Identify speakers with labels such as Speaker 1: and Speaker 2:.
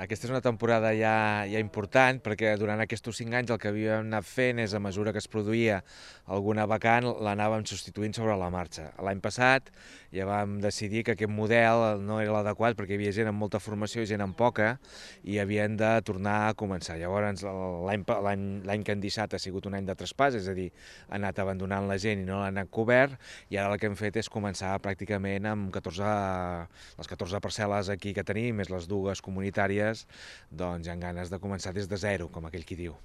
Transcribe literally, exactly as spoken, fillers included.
Speaker 1: Aquesta és una temporada ja, ja important, perquè durant aquests cinc anys el que havíem anat fent és, a mesura que es produïa alguna vacant, l'anàvem substituint sobre la marxa. L'any passat ja vam decidir que aquest model no era l'adequat perquè hi havia gent amb molta formació i gent amb poca i havien de tornar a començar. Llavors l'any que han deixat ha sigut un any de traspàs, és a dir, ha anat abandonant la gent i no l'han anat cobert, i ara el que hem fet és començar pràcticament amb catorze, les catorze parcel·les aquí que tenim, més les dues comunitàries, doncs hi ha ganes de començar des de zero, com aquell qui diu.